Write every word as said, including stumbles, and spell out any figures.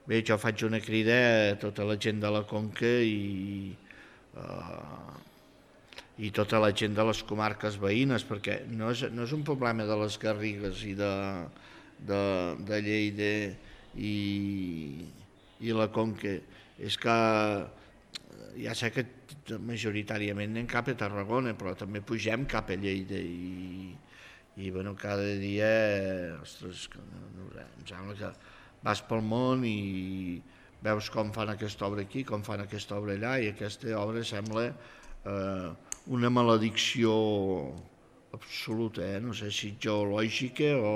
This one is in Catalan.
Bé, jo faig una crida a tota la gent de la Conca i, uh, i tota la gent de les comarques veïnes, perquè no és, no és un problema de les Garrigues i de, de, de Lleida i, i la Conca, és que ja sé que majoritàriament anem cap a Tarragona, però també pugem cap a Lleida i, i bueno, cada dia, ostres, no, no sé, em sembla que vas pel món i veus com fan aquesta obra aquí, com fan aquesta obra allà, i aquesta obra sembla eh, una maledicció absoluta, eh? No sé si geològica o,